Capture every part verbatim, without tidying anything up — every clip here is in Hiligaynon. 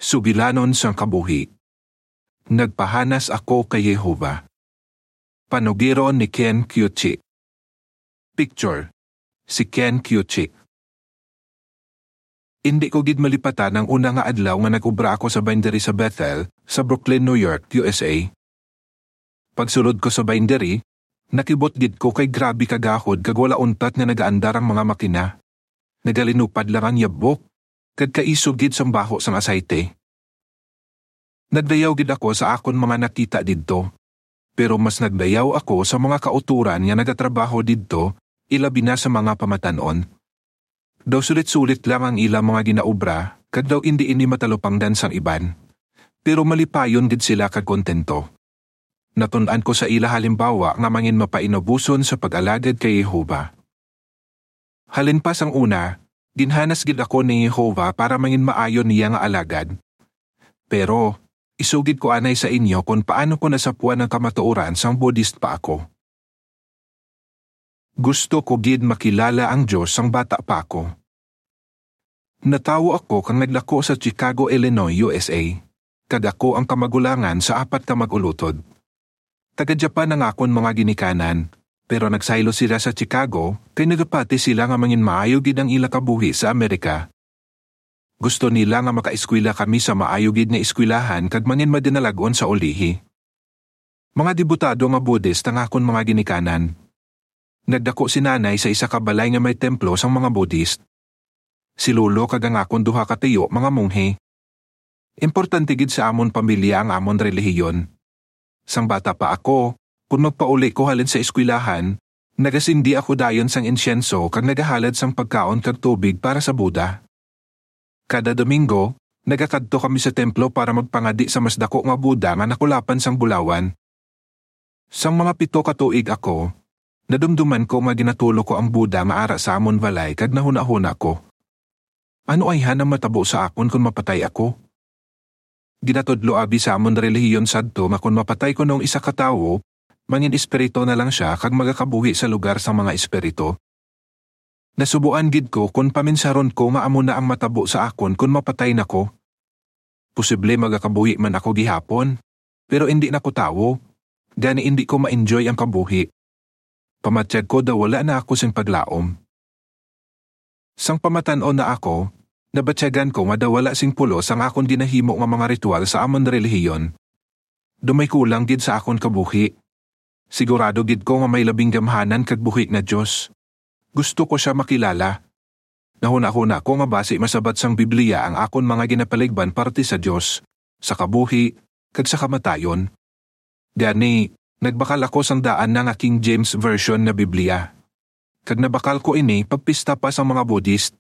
Sugilanon sang Kabuhi. Nagpahanas Ako kay Jehovah. Panugiron ni Ken Kyochi. Picture, si Ken Kyochi. Indi ko gid malipatan ang una nga adlaw nga nag-obra ako sa bindery sa Bethel, sa Brooklyn, New York, U S A. Pagsulod ko sa bindery, nakibot gid ko kay grabe kagahod kag wala untat nga nagaandar ang mga makina. Nagalinupad lang ang yabok, kag kaisog gid sang baho sang asayte. Nagdayaw gid ako sa akon mga nakita didto, pero mas nagdayaw ako sa mga kautoran nga nagatrabaho didto, ilabi na sa mga pamatan-on. Daw sulit-sulit lang ang ila mga ginaobra, kag daw indi ini matalupangdan sang iban. Pero malipayon gid sila kag kontento. Natun-an ko sa ila halimbawa nga mangin mapainuboson sa pag-alagad kay Jehovah. Halin pa sang una, ginhanas gid ako ni Jehovah para mangin maayo niya nga alagad. Pero, isugid ko anay sa inyo kon paano ko nasapuan ang kamatuoran sang Buddhist pa ako. Gusto ko gid makilala ang Dios sang bata pa ako. Natawo ako kag nagdako sa Chicago, Illinois, U S A, kag ako ang kamagulangan sa apat ka mag-ulutod. Taga Japan ang akon mga ginikanan, pero nagsaylo sila sa Chicago kay nagapati sila nga mangin maayo gid ang ila kabuhi sa Amerika. Gusto nila nga makaeskwela kami sa maayo gid nga eskwelahan kag mangin madinalag-on sa ulihi. Mga debutado nga Buddhist ang akon mga ginikanan. Nagdako si Nanay sa isa ka balay nga may templo sang mga Buddhist. Si Lolo kag ang akon duha ka tiyo mga monghe. Importante gid sa amon pamilya ang amon relihiyon. Sang bata pa ako, kon magpauli ko halin sa eskwelahan, nagasindi ako dayon sang insyenso kag nagahalad sang pagkaon kag tubig para sa Buddha. Kada Domingo, nagakadto kami sa templo para magpangadi sa mas dako nga Buddha nga nakulapan sang bulawan. Sang mga pito ka tuig ako, nadumduman ko nga ginatulo ko ang Buddha nga ara sa amon balay kag nahunahuna ko, "Ano ayhan ang matabo sa akon kon mapatay ako?" Ginatudlo abi sa amon relihiyon sadto nga kon mapatay kuno ang isa ka tawo, mangin espiritu na lang sia kag magakabuhi sa lugar sang mga espiritu. Nasubuan gid ko kon paminsaron ko nga amo na ang matabo sa akon kon mapatay na ko. Posible magakabuhi man ako gihapon, pero indi na ko tawo, gani indi ko ma-enjoy ang kabuhi. Pamatyag ko daw wala na ako sing paglaom. Sang pamatan-on na ako, nabatyagan ko nga daw wala sing pulos ang akon ginahimo nga mga ritual sa amon relihiyon. Daw may kulang gid sa akon kabuhi. Sigurado gid ko nga may labing gamhanan kag buhi nga Dios. Gusto ko sia makilala. Nahunahuna ko nga basi masabat sang Biblia ang akon mga ginapaligban parte sa Dios, sa kabuhi, kag sa kamatayon. Gani, nagbakal ako sang daan na nga King James Version nga Biblia. Kag nabakal ko ini pagpista pa sang mga Buddhist.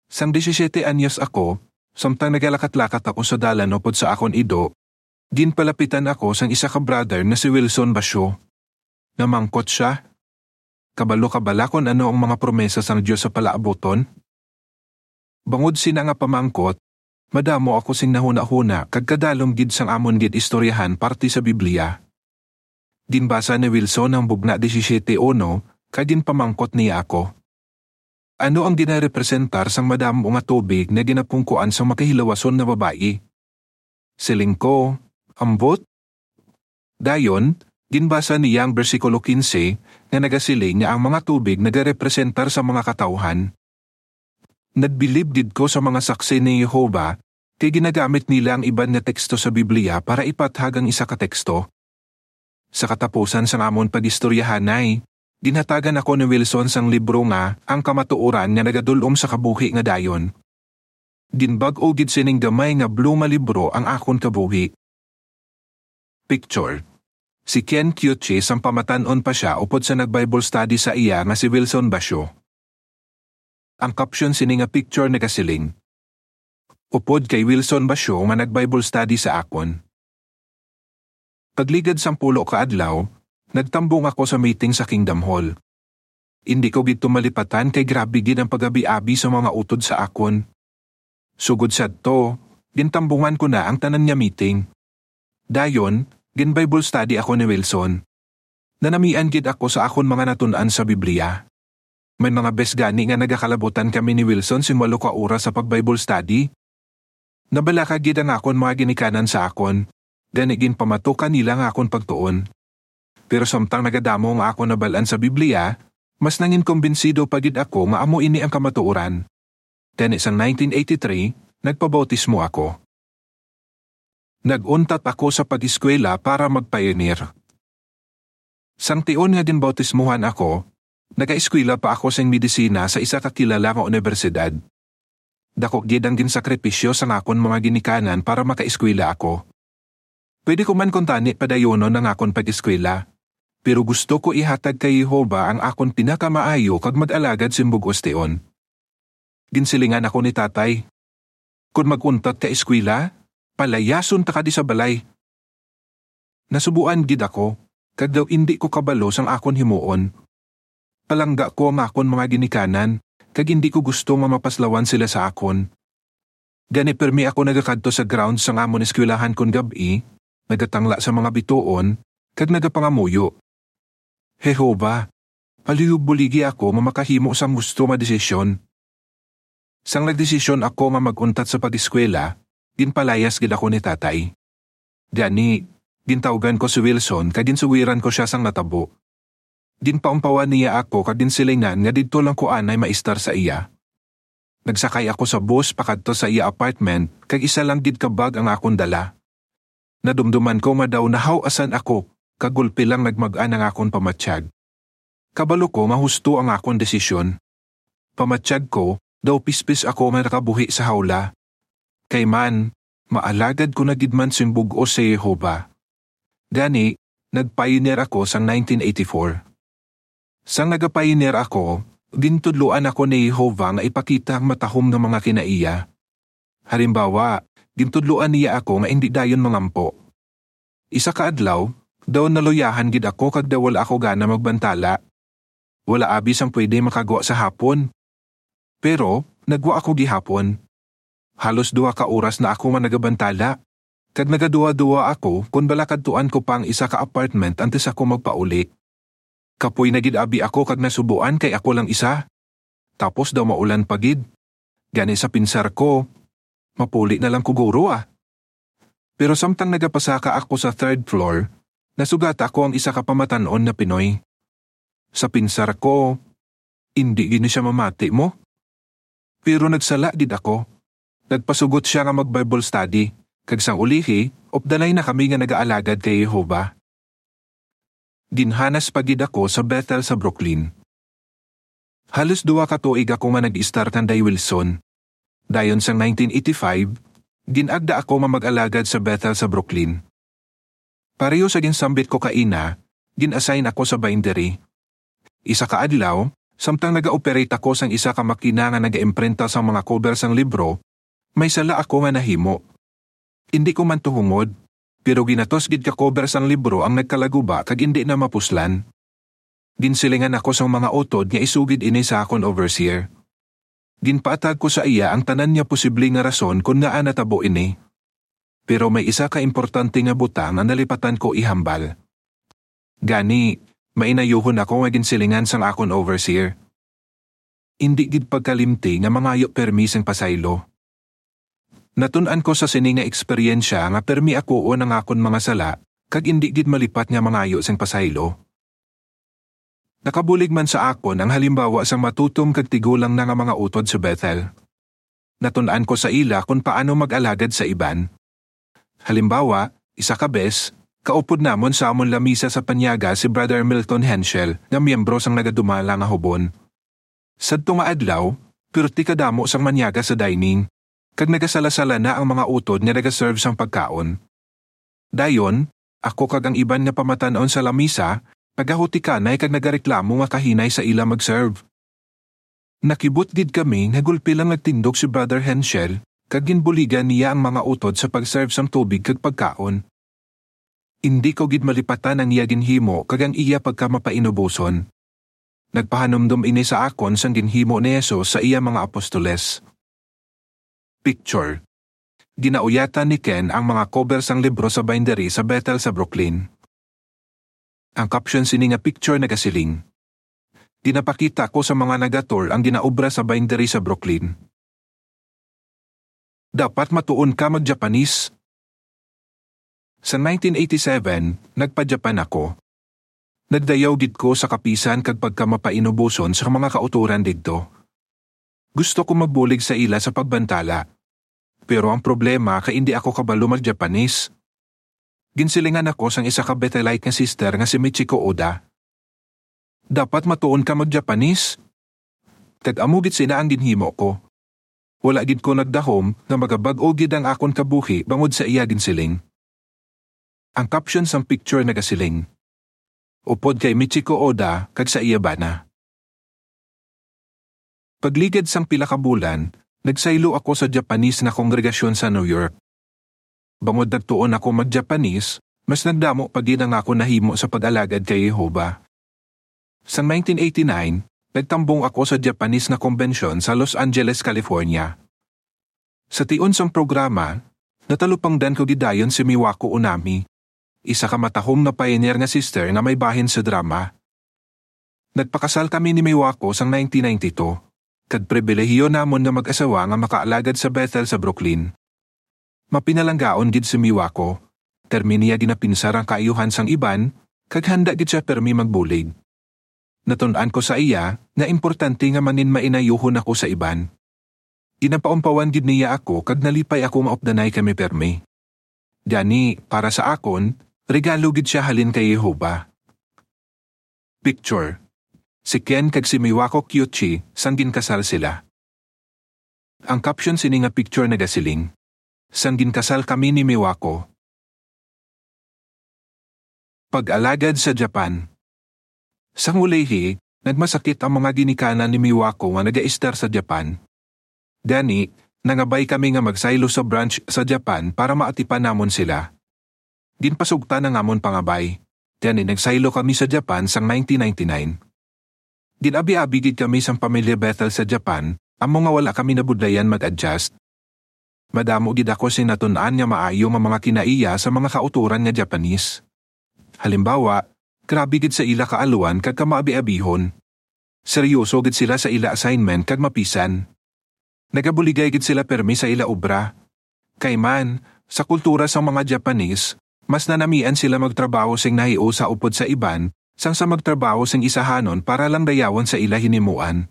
Sang disisiete anyos ako, samtang nagalakat-lakat ako sa dalan upod sa akon ido, ginpalapitan ako sang isa ka brother na si Wilson Basyo. Namangkot sia, "Kabalo ka bala kon ano ang mga promesa sang Dios sa palaabuton?" Bangod sina nga pamangkot, madamo ako sing nahunahuna kag kadalom gid sang amon gid istoryahan parte sa Biblia. Ginbasa ni Wilson ang Bugna disisiete uno, kag ginpamangkot niya ako, "Ano ang ginarepresentar sang madamo nga tubig nga ginapungkuan sang makahilawason nga babayi?" Siling ko, "Ambot." Dayon, ginbasa niya ang bersikulo quince nga nagasiling nga ang mga tubig nagarepresentar sa mga katawuhan. Nagbilib gid ko sa mga Saksi ni Jehovah, kay ginagamit nila ang iban nga teksto sa Biblia para ipathag ang isa ka teksto. Sa katapusan sang amon pag-istoryahanay, ginhatagan ako ni Wilson sang libro nga Ang Kamatuoran nga Nagadul-om sa Kabuhi nga Dayon. Ginbag-o gid sining gamay nga blue nga libro ang akon kabuhi. Picture, si Ken Kyochi sang pamatan-on pa sia upod sa nag-Bible study sa iya nga si Wilson Basyo. Ang caption sini nga picture nagasiling, "Upod kay Wilson Basyo nga nag-Bible study sa akon." Pagligad sang pulo ka adlaw, nagtambong ako sa meeting sa Kingdom Hall. Indi ko gid to malipatan kay grabe gid ang pag-abi-abi sa mga utod sa akon. Sugod sadto, gintambungan ko na ang tanan nga meeting. Dayon, gin-Bible study ako ni Wilson. Nanamian gid ako sa akon mga natun-an sa Biblia. May mga bes gani nga nagakalabutan kami ni Wilson sing walo ka oras sa pag-Bible study. Nabalaka gid ang akon mga ginikanan sa akon, gani ginpamatukan nila ang akon pagtuon. Pero samtang nagadamo ang akon nabal-an sa Biblia, mas nanginkumbinsido pa gid ako nga amo ini ang kamatuoran. Gani sang nineteen eighty-three, nagpabautismo ako. Nag-untat ako sa pag-eskwela para mag-pioneer. Sang tion nga ginbautismuhan ako, nagaeskwela pa ako sing medisina sa isa ka kilala nga unibersidad. Dako gid ang ginsakripisyo sang akon mga ginikanan para makaeskwela ako. Pwede ko man kuntani padayunon ang akon pag-eskwela, pero gusto ko ihatag kay Jehovah ang akon pinakamaayo kag mag-alagad sing bug-os tion. Ginsilingan ako ni Tatay, "Kon mag-untat ka eskwela, palayason ta ka di sa balay." Nasubuan gid ako, kag daw indi ko kabalo sang akon himuon. Palangga ko ang akon mga ginikanan, kag indi ko gusto nga mapaslawan sila sa akon. Gani pirmi ako nagakadto sa grounds sang amon eskwelahan kon gab-i, nagatangla sa mga bituon, kag nagapangamuyo, "Jehovah, palihog buligi ako nga makahimo sang husto nga desisyon." Sang nagdesisyon ako nga mag-untat sa pag-eskwela, ginpalayas gid ako ni Tatay. Gani, gintawgan ko si Wilson kag ginsugiran ko sia sang natabo. Ginpaumpawan niya ako kag ginsilingan nga didto lang ko anay maistar sa iya. Nagsakay ako sa bus pakadto sa iya apartment, kag isa lang gid ka bag ang akon dala. Nadumduman ko nga daw nahaw-asan ako, kag gulpi lang nagmag-an ang akon pamatyag. Kabalo ko nga husto ang akon desisyon. Pamatyag ko, daw pispis ako nga nakabuhi sa hawla. Kay man, maalagad ko na gid man sing bug-os sa Jehovah. Gani, nag-pioneer ako sang nineteen eighty-four. Sang naga-pioneer ako, gintudloan ako ni Jehovah nga ipakita ang matahom nga mga kinaiya. Halimbawa, gintudloan niya ako nga indi dayon mangampo. Isa ka adlaw, daw naluyahan gid ako kag daw wala ako gana magbantala. Wala abi sang pwede makagwa sa hapon. Pero, nagwa ako gihapon. Halos duha ka oras na ako nga nagabantala, kag nagaduha-duha ako kon bala kadtuan ko pa ang isa ka apartment antes ako magpauli. Kapoy na gid abi ako kag nasubuan kay ako lang isa. Tapos daw maulan pa gid. Gani sa pinsar ko, mapuli na lang ko guro, ah. Pero samtang nagapasaka ako sa third floor, nasugata ko ang isa ka pamatan-on na Pinoy. Sa pinsar ko, "Indi gid ni siya mamati mo." Pero nagsala gid ako. Nagpasugot sia nga mag-Bible study, kag sang ulihi, updanay na kami nga nagaalagad kay Jehovah. Ginhanas pa gid ako sa Bethel sa Brooklyn. Halos duha ka tuig ako nga nag-istar kanday Wilson. Dayon sang nineteen eighty-five, gin-agda ako nga mag-alagad sa Bethel sa Brooklyn. Pareho sa ginsambit ko kaina, gin-assign ako sa bindery. Isa ka adlaw, samtang naga-operate ako sang isa ka makina nga naga-imprinta sang mga cover sang libro, may sala ako nga nahimo. Indi ko man tuhongod, pero ginatos gid ka cover sang libro ang nagkalaguba kag indi na mapuslan. Ginsilingan ako sang mga utod nga isugid ini sa akon overseer. Ginpaatag ko sa iya ang tanan nga posible nga rason kon ngaa natabo ini. Pero may isa ka importante nga butang nga nalipatan ko ihambal. Gani, mainayuhon ako nga ginsilingan sang akon overseer, "Indi gid pagkalimti nga mangayo permi sing pasaylo." Natun-an ko sa sini nga eksperyensya nga permi akuon ang akon mga sala, kag indi gid malipat nga mangayo sing pasaylo. Nakabulig man sa akon ang halimbawa sang matutom kag tigulang na nga mga utod sa Bethel. Natun-an ko sa ila kon paano mag-alagad sa iban. Halimbawa, isa ka bes, kaupod namon sa amon lamisa sa panyaga si Brother Milton Henschel, nga miyembro sang nagadumala nga hubon. Sadto nga adlaw, pirti kadamo sang manyaga sa dining, kag nagasala-sala na ang mga utod nga nagaserve sang pagkaon. Dayon, ako kag ang iban nga pamatan-on sa lamisa, nagahutikanay kag nagareklamo nga kahinay sa ila mag-serve. Nakibot gid kami nga gulpi lang nagtindog si Brother Henschel, kag ginbuligan niya ang mga utod sa pag-serve sang tubig kag pagkaon. Indi ko gid malipatan ang iya ginhimo kag ang iya pagkamapainuboson. Nagpahanumdom ini sa akon sang ginhimo ni Jesus sa iya mga apostoles. Picture. Ginauyatan ni Ken ang mga cover sang libro sa bindery sa Bethel sa Brooklyn. Ang caption sini nga picture nagasiling, "Ginapakita ko sa mga nagatur ang ginaobra sa bindery sa Brooklyn." Dapat matuon ka mag-Japanese. Sa nineteen eighty-seven, nagpa-Japan ako. Nagdayaw gid ko sa kapisan kag pagkamapainuboson sa mga kautoran didto. Gusto ko magbulig sa ila sa pagbantala. Pero ang problema kay indi ako kabalo mag-Japanese. Ginsilingan ako sang isa ka Bethelite nga sister nga si Michiko Oda. Dapat matuon ka mag-Japanese. Kag amo gid sina ang ginhimo ko. Wala gid ko nagdahom nga magabag-o gid ang akon kabuhi bangod sa iya ginsiling. Ang caption sang picture nagasiling, "Upod kay Michiko Oda kag sa iya bana." Pagligad sang pila ka bulan, nagsaylo ako sa Japanese nga kongregasyon sa New York. Bangod nagtuon ako mag-Japanese, mas nagdamo pa gid ang akon nahimo sa pag-alagad kay Jehovah. Sa nineteen eighty-nine, nagtambong ako sa Japanese nga kombensyon sa Los Angeles, California. Sa tion sang programa, natalupangdan ko gid dayon si Miwako Onami, isa ka matahom nga pioneer nga sister nga may bahin sa drama. Nagpakasal kami ni Miwako sang nineteen ninety-two, kag pribilehiyo namon nga mag-asawa nga makaalagad sa Bethel sa Brooklyn. Mapinalanggaon gid si Miwako, pirmi niya ginapinsar ang kaayuhan sang iban, kag handa gid sia pirmi magbulig. Natun-an ko sa iya nga importante nga manginmainayohon ako sa iban. Ginapaumpawan gid niya ako kag nalipay ako nga updanay kami pirmi. Gani, para sa akon, regalo gid sia halin kay Jehovah. Picture. Si Ken kag si Miwako Kyuchi sang ginkasal sila. Ang caption sini nga picture nagasiling, "Sang ginkasal kami ni Miwako." Pag-alagad sa Japan. Sang ulihi, nagmasakit ang mga ginikanan ni Miwako nga nagaistar sa Japan. Gani, nangabay kami nga magsaylo sa branch sa Japan para maatipan namon sila. Ginpasugtan ang amon pangabay. Gani, nagsaylo kami sa Japan sang nineteen ninety-nine. Gin-abiabi gid kami sang pamilya Bethel sa Japan, amo nga wala kami nabudlayan mag-adjust. Madamo gid ako sing natun-an nga maayo nga mga kinaiya sa mga kautoran nga Japanese. Halimbawa, grabe gid sa ila kaalwan kag kamaabiabihon. Seryoso gid sila sa ila assignment kag mapisan. Nagabuligay gid sila pirmi sa ila obra. Kay man, sa kultura sang mga Japanese, mas nanamian sila magtrabaho sing nahiusa upod sa iban, sang sa magtrabaho sing isahanon para lang dayawon sa ila hinimuan.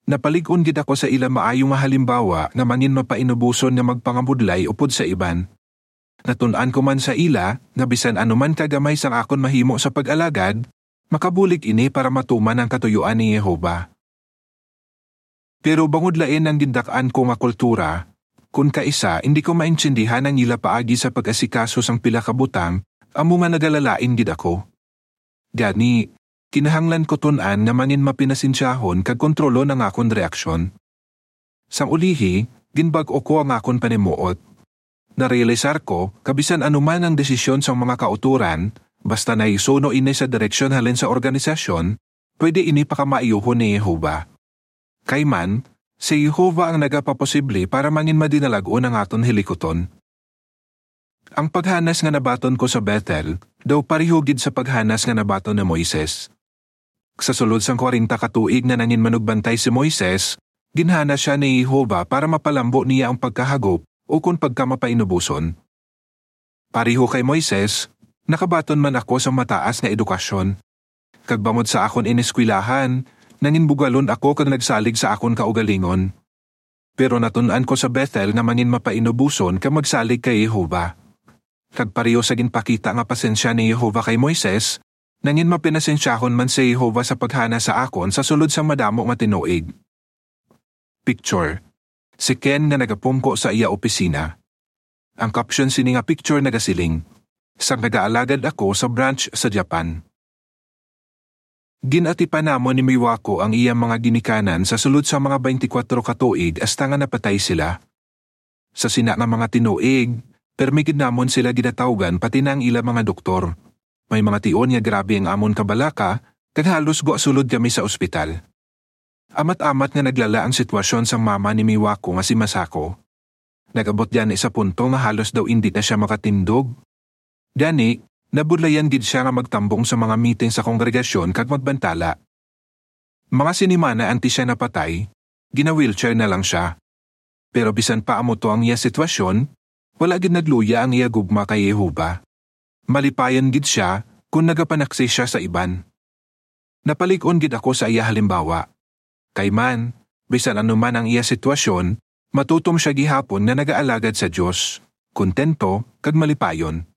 Napalig-on gid ako sa ila maayo nga halimbawa nga manginmapainuboson nga magpangabudlay upod sa iban. Natun-an ko man sa ila nga bisan ano man ka gamay sang akon mahimo sa pag-alagad, makabulig ini para matuman ang katuyoan ni Jehovah. Pero bangod lain ang gindak-an ko nga kultura, kun kaisa indi ko maintindihan ang ila paagi sa pag-asikaso sang pila ka butang, amo nga nagalalain gid ako. Gani, kinahanglan ko tun-an nga manginmapinasensyahon kag kontrolon ang akon reaksyon. Sang ulihi, ginbag-o ko ang akon panimuot. Narealisar ko nga bisan ano man ang desisyon sang mga kautoran, basta nahisuno ini sa direksyon halin sa organisasyon, pwede ini pakamaayuhon ni Jehovah. Kay man, si Jehovah ang nagapaposible para manginmadinalag-on ang aton hilikuton. Ang paghanas nga nabaton ko sa Bethel daw pareho gid sa paghanas nga nabaton ni Moises. Sa sulod sang kwarenta ka tuig nga nanginmanugbantay si Moises, ginhanas sia ni Jehovah para mapalambo niya ang pagkahagop ukon pagkamapainuboson. Pareho kay Moises, nakabaton man ako sang mataas nga edukasyon. Kag bangod sa akon ineskwelahan, nanginbugalon ako kag nagsalig sa akon kaugalingon. Pero natun-an ko sa Bethel nga manginmapainuboson kag magsalig kay Jehovah. Kag pareho sa ginpakita nga pasensya ni Jehovah kay Moises, nanginmapinasensyahon man si Jehovah sa paghanas sa akon sa sulod sang madamo nga tinuig. Picture. Si Ken nga nagapungko sa iya opisina. Ang caption sini nga picture nagasiling, "Sang nagaalagad ako sa branch sa Japan." Gin-atipan namon ni Miwako ang iya mga ginikanan sa sulod sa mga twenty-four ka tuig hasta nga napatay sila. Sa sina nga mga tinuig, permi gid namon sila ginatawgan pati na ang ila mga doktor. May mga tion nga grabe ang amon kabalaka, kag halos gwa sulod kami sa ospital. Amat-amat nga naglala ang sitwasyon sang mama ni Miwako nga si Masako. Nag-abot gani sa punto nga halos daw indi na sia makatindog. Gani, nabudlayan gid sia nga magtambong sa mga meeting sa kongregasyon kag magbantala. Mga sinimana antes sia napatay, gina-wheelchair na lang sia. Pero bisan pa amo to ang iya sitwasyon, wala gid nagluya ang iya gugma kay Jehovah. Malipayon gid sia kon nagapanaksi sia sa iban. Napalig-on gid ako sa iya halimbawa. Kay man, bisan ano man ang iya sitwasyon, matutom sia gihapon nga nagaalagad sa Dios, kontento, kag malipayon.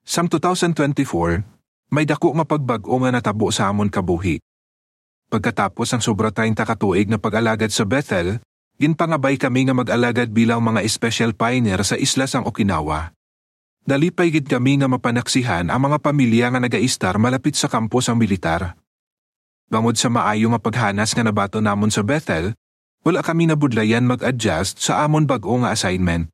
Sang two thousand twenty-four, may daku nga pagbag-o nga natabo sa amon kabuhi. Pagkatapos ang sobra treinta ka tuig nga pag-alagad sa Bethel, ginpangabay kami nga mag-alagad bilang mga special pioneer sa isla sang Okinawa. Nalipay gid kami nga mapanaksihan ang mga pamilya nga nagaistar malapit sa kampo sang militar. Bangod sa maayo nga paghanas nga nabaton namon sa Bethel, wala kami nabudlayan mag-adjust sa amon bag-o nga assignment.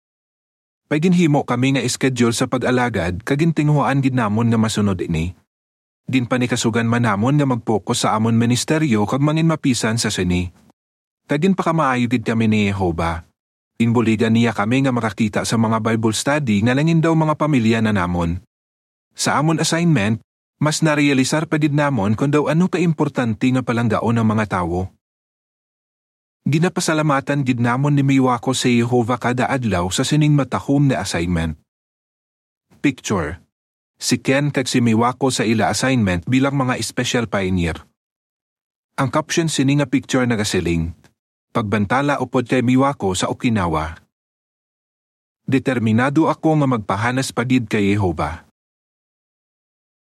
May ginhimo kami nga schedule sa pag-alagad kag gintinguhaan gid namon nga masunod ini. Ginpanikasugan man namon nga mag-focus sa amon ministeryo kag manginmapisan sa sini. Kag ginpakamaayo gid kami ni Jehovah. Ginbuligan niya kami nga makakita sa mga Bible study nga langin daw mga pamilya na namon. Sa amon assignment, mas narealisar pa gid namon kon daw ano ka importante nga palanggaon ang mga tawo. Ginapasalamatan gid namon ni Miwako si Jehovah kada adlaw sa sining matahom nga assignment. Picture: si Ken kag si Miwako sa ila assignment bilang mga special pioneer. Ang caption sini nga picture nagasiling, "Pagbantala upod kay Miwako sa Okinawa." Determinado ako nga magpahanas pa gid kay Jehovah.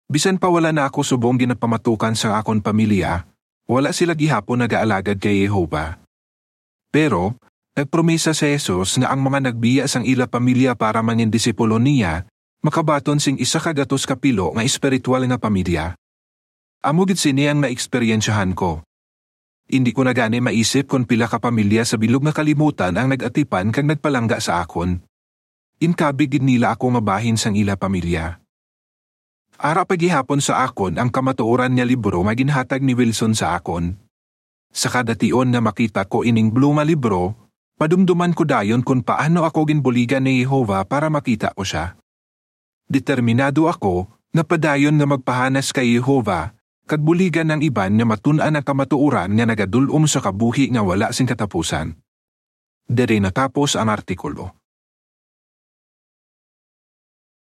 Bisan pa wala na ako subong ginapamatukan sang akon pamilya, wala sila gihapon nagaalagad kay Jehovah. Pero, nagpromesa si Jesus nga ang mga nagbiya sang ila pamilya para mangin disipulo niya, makabaton sing isa ka gatos ka pilo nga espiritual nga pamilya. Amo gid sini ang naeksperyensyahan ko. Indi ko na gani maisip kon pila ka pamilya sa bilog nga kalibutan ang nag-atipan kag nagpalangga sa akon. Inkabig gid nila ako nga bahin sang ila pamilya. Ara pa gihapon sa akon ang kamatuoran nga libro nga ginhatag ni Wilson sa akon. Sa kada tion nga makita ko ining blue nga libro, madumduman ko dayon kon paano ako ginbuligan ni Jehovah para makita ko sia. Determinado ako nga padayon nga magpahanas kay Jehovah kag buligan ang iban nga matun-an ang kamatuoran nga nagadul-ong sa kabuhi nga wala sing katapusan. Diri natapos ang artikulo.